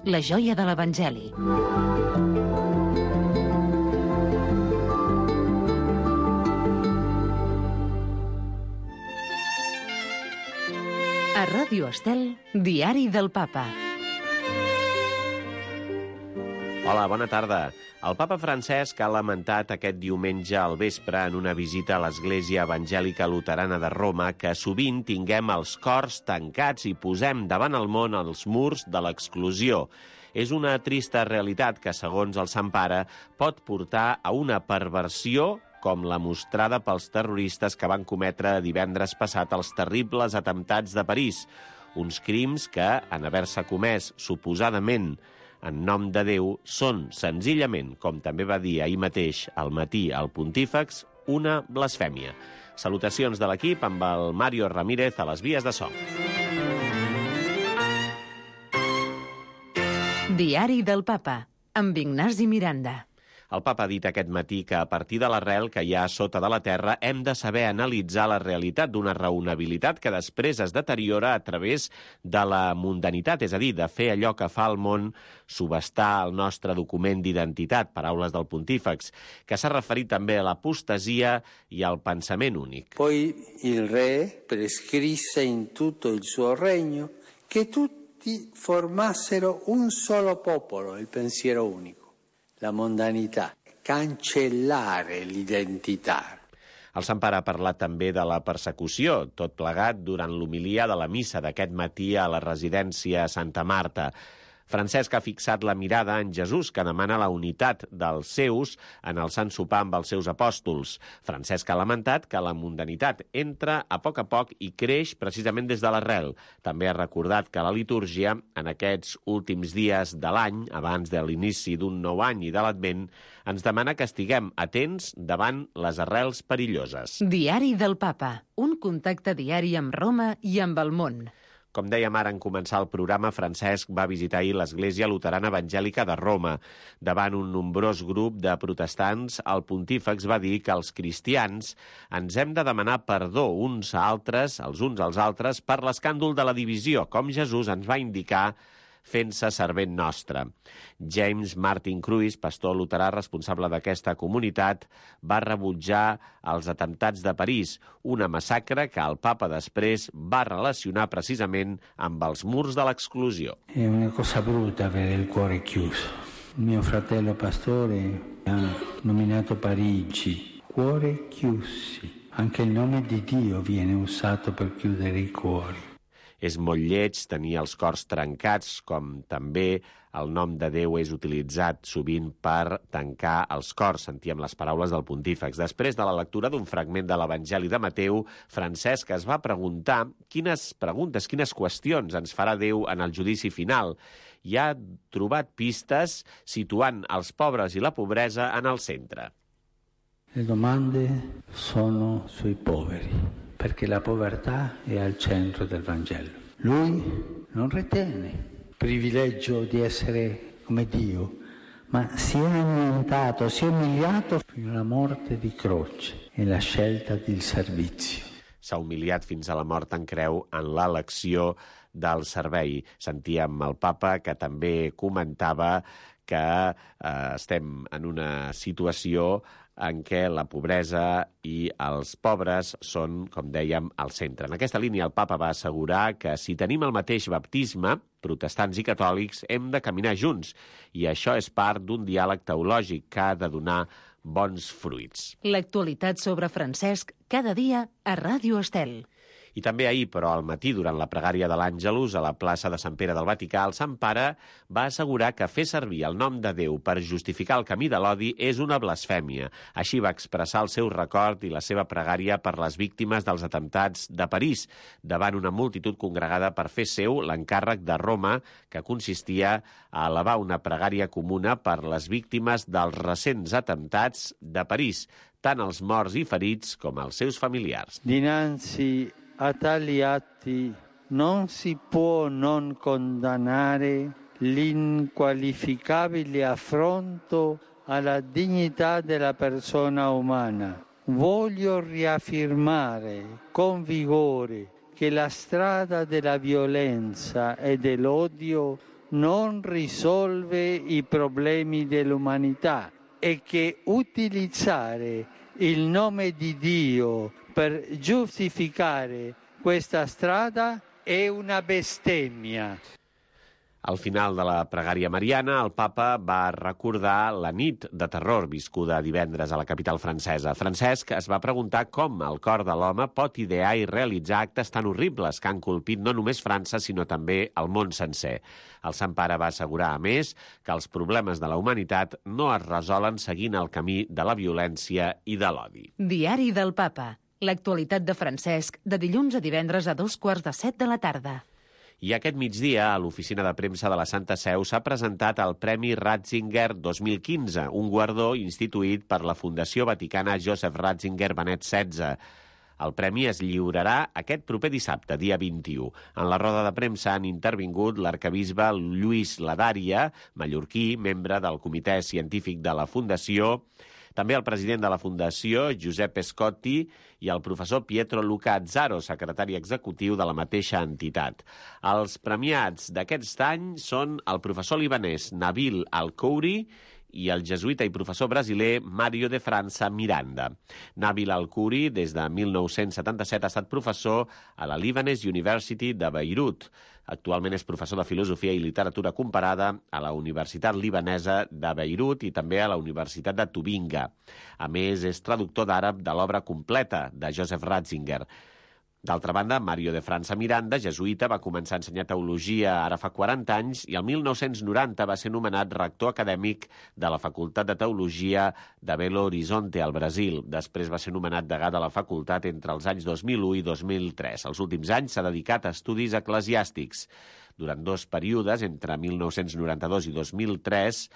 la joia de l'Evangeli. A Ràdio Estel, Diari del Papa. Hola, bona tarda. El papa Francesc ha lamentat aquest diumenge al vespre en una visita a l'Església Evangèlica Luterana de Roma que sovint tinguem els cors tancats i posem davant el món els murs de l'exclusió. És una trista realitat que, segons el Sant Pare, pot portar a una perversió com la mostrada pels terroristes que van cometre divendres passat els terribles atemptats de París. Uns crims que, en haver-se comès suposadament en nom de Déu, són senzillament, com també va dir ahir mateix al matí al Pontífex, una blasfèmia. Salutacions de l'equip amb el Mario Ramírez a les vies de so. Diari del Papa, amb Ignasi Miranda. El papa ha dit aquest matí que a partir de l'arrel que hi ha sota de la terra hem de saber analitzar la realitat d'una raonabilitat que després es deteriora a través de la mundanitat, és a dir, de fer allò que fa el món, subestar el nostre document d'identitat, paraules del Pontífex, que s'ha referit també a l'apostasia i al pensament únic. Poi il re prescrisse in tutto il suo regno che tutti formassero un solo popolo, il pensiero unico. La mondanità, cancellare l'identità. El Sant Pare ha parlat també de la persecució, tot plegat durant l'homilia de la missa d'aquest matí a la residència Santa Marta. Francesc ha fixat la mirada en Jesús, que demana la unitat dels seus en el Sant Sopar amb els seus apòstols. Francesc ha lamentat que la mundanitat entra a poc i creix precisament des de l'arrel. També ha recordat que la litúrgia, en aquests últims dies de l'any, abans de l'inici d'un nou any i de l'Advent, ens demana que estiguem atents davant les arrels perilloses. Diari del Papa, un contacte diari amb Roma i amb el món. Com dèiem ara en començar el programa, Francesc va visitar ahir l'Església Luterana Evangèlica de Roma. Davant un nombrós grup de protestants, el Pontífex va dir que els cristians ens hem de demanar perdó uns als altres, per l'escàndol de la divisió, com Jesús ens va indicar fent-se servent nostre. James Martin Cruise, pastor luterà responsable d'aquesta comunitat, va rebutjar els atemptats de París, una massacre que el papa després va relacionar precisament amb els murs de l'exclusió. È una cosa brutta avere il cuore chiuso. Mio fratello pastore ha nominato Parigi, cuore chiusi. Anche il nome di Dio viene usato per chiudere i cuori. És molt lleig tenir els cors trencats, com també el nom de Déu és utilitzat sovint per tancar els cors, sentíem les paraules del Pontífex. Després de la lectura d'un fragment de l'Evangeli de Mateu, Francesc es va preguntar quines qüestions ens farà Déu en el judici final, i ha trobat pistes situant els pobres i la pobresa en el centre. Le domande sono sui poveri, perché la povertà è al centro del Vangelo. Lui non ritiene privilegio di essere come Dio, ma si è annientato, si è umiliato fino alla morte di croce e la scelta del servizio. S'ha humiliat fins a la mort en creu en l'elecció del servei. Sentíem el papa que també comentava que estem en una situació en què la pobresa i els pobres són, com dèiem, al centre. En aquesta línia el papa va assegurar que si tenim el mateix baptisme, protestants i catòlics, hem de caminar junts, i això és part d'un diàleg teològic que ha de donar bons fruits. L'actualitat sobre Francesc cada dia a Ràdio Estel. I també ahir, però al matí, durant la pregària de l'Àngelus a la plaça de Sant Pere del Vaticà, el Sant Pare va assegurar que fer servir el nom de Déu per justificar el camí de l'odi és una blasfèmia. Així va expressar el seu record i la seva pregària per les víctimes dels atemptats de París, davant una multitud congregada per fer seu l'encàrrec de Roma, que consistia a elevar una pregària comuna per les víctimes dels recents atemptats de París, tant els morts i ferits com els seus familiars. Dinanzi a tali atti non si può non condannare l'inqualificabile affronto alla dignità della persona umana. Voglio riaffermare con vigore che la strada della violenza e dell'odio non risolve i problemi dell'umanità e che utilizzare il nome di Dio per giustificare questa strada è una bestemmia. Al final de la pregària mariana, el papa va recordar la nit de terror viscuda divendres a la capital francesa. Francesc es va preguntar com el cor de l'home pot idear i realitzar actes tan horribles que han colpit no només França, sinó també el món sencer. El Sant Pare va assegurar, a més, que els problemes de la humanitat no es resolen seguint el camí de la violència i de l'odi. Diari del Papa. L'actualitat de Francesc, de dilluns a divendres a 6:45 de la tarda. I aquest migdia, a l'oficina de premsa de la Santa Seu, s'ha presentat el Premi Ratzinger 2015, un guardó instituït per la Fundació Vaticana Joseph Ratzinger Benet XVI. El premi es lliurarà aquest proper dissabte, dia 21. En la roda de premsa han intervingut l'arcabisbe Lluís Ladària, mallorquí, membre del comitè científic de la Fundació, també el president de la Fundació, Giuseppe Scotti, i el professor Pietro Luca Azzaro, secretari executiu de la mateixa entitat. Els premiats d'aquest any són el professor libanès Nabil Al-Khouri i el jesuïta i professor brasiler Mário de França Miranda. Nabil Al-Khouri, des de 1977, ha estat professor a la Lebanese University de Beirut. Actualment és professor de Filosofia i Literatura Comparada a la Universitat Libanesa de Beirut i també a la Universitat de Tubinga. A més, és traductor d'àrab de l'obra completa de Joseph Ratzinger. D'altra banda, Mário de França Miranda, jesuïta, va començar a ensenyar teologia ara fa 40 anys i el 1990 va ser nomenat rector acadèmic de la Facultat de Teologia de Belo Horizonte, al Brasil. Després va ser nomenat degà de la facultat entre els anys 2001 i 2003. Els últims anys s'ha dedicat a estudis eclesiàstics. Durant 2 períodes, entre 1992 i 2003,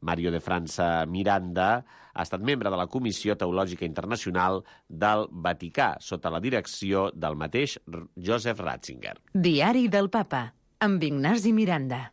Mário de França Miranda ha estat membre de la Comissió Teològica Internacional del Vaticà, sota la direcció del mateix Joseph Ratzinger. Diari del Papa, amb Ignasi Miranda.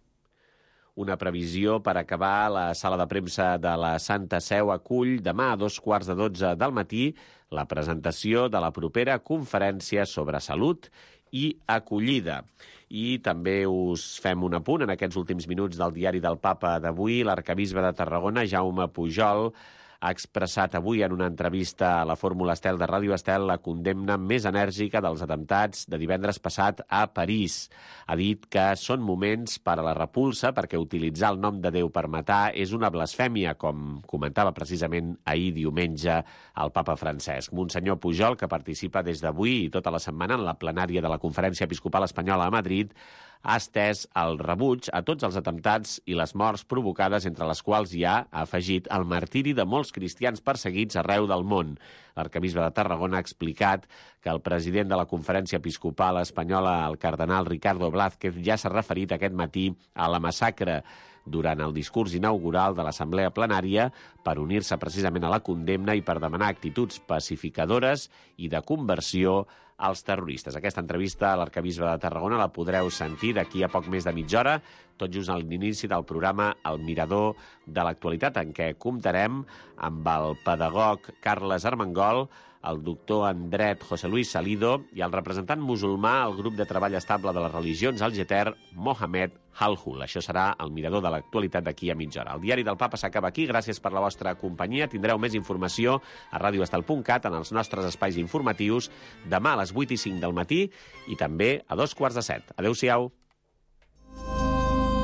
Una previsió per acabar la sala de premsa de la Santa Seu acull demà a 2:15 del matí la presentació de la propera conferència sobre salut i acollida. I també us fem un apunt en aquests últims minuts del diari del Papa d'avui. L'arcabisbe de Tarragona, Jaume Pujol, ha expressat avui en una entrevista a la Fórmula Estel de Ràdio Estel la condemna més enèrgica dels atemptats de divendres passat a París. Ha dit que són moments per a la repulsa perquè utilitzar el nom de Déu per matar és una blasfèmia, com comentava precisament ahir diumenge el papa Francesc. Monsenyor Pujol, que participa des d'avui i tota la setmana en la plenària de la Conferència Episcopal Espanyola a Madrid, ha estès el rebuig a tots els atemptats i les morts provocades, entre les quals hi ha, ha afegit, el martiri de molts cristians perseguits arreu del món. L'arcabisbe de Tarragona ha explicat que el president de la Conferència Episcopal Espanyola, el cardenal Ricardo Blázquez, ja s'ha referit aquest matí a la massacre durant el discurs inaugural de l'Assemblea Plenària per unir-se precisament a la condemna i per demanar actituds pacificadores i de conversió als terroristes. Aquesta entrevista a l'arcabisbe de Tarragona la podreu sentir d'aquí a poc més de mitja hora, tot just a l'inici del programa El Mirador de l'Actualitat, en què comptarem amb el pedagog Carles Armengol, el doctor en dret José Luis Salido i el representant musulmà al grup de treball estable de les religions al Geter, Mohamed Halhul. Això serà el Mirador de l'Actualitat d'aquí a mitja hora. El diari del Papa s'acaba aquí. Gràcies per la vostra companyia. Tindreu més informació a radioestel.cat en els nostres espais informatius demà a les 8:05 del matí i també a 2:15. Adéu-siau.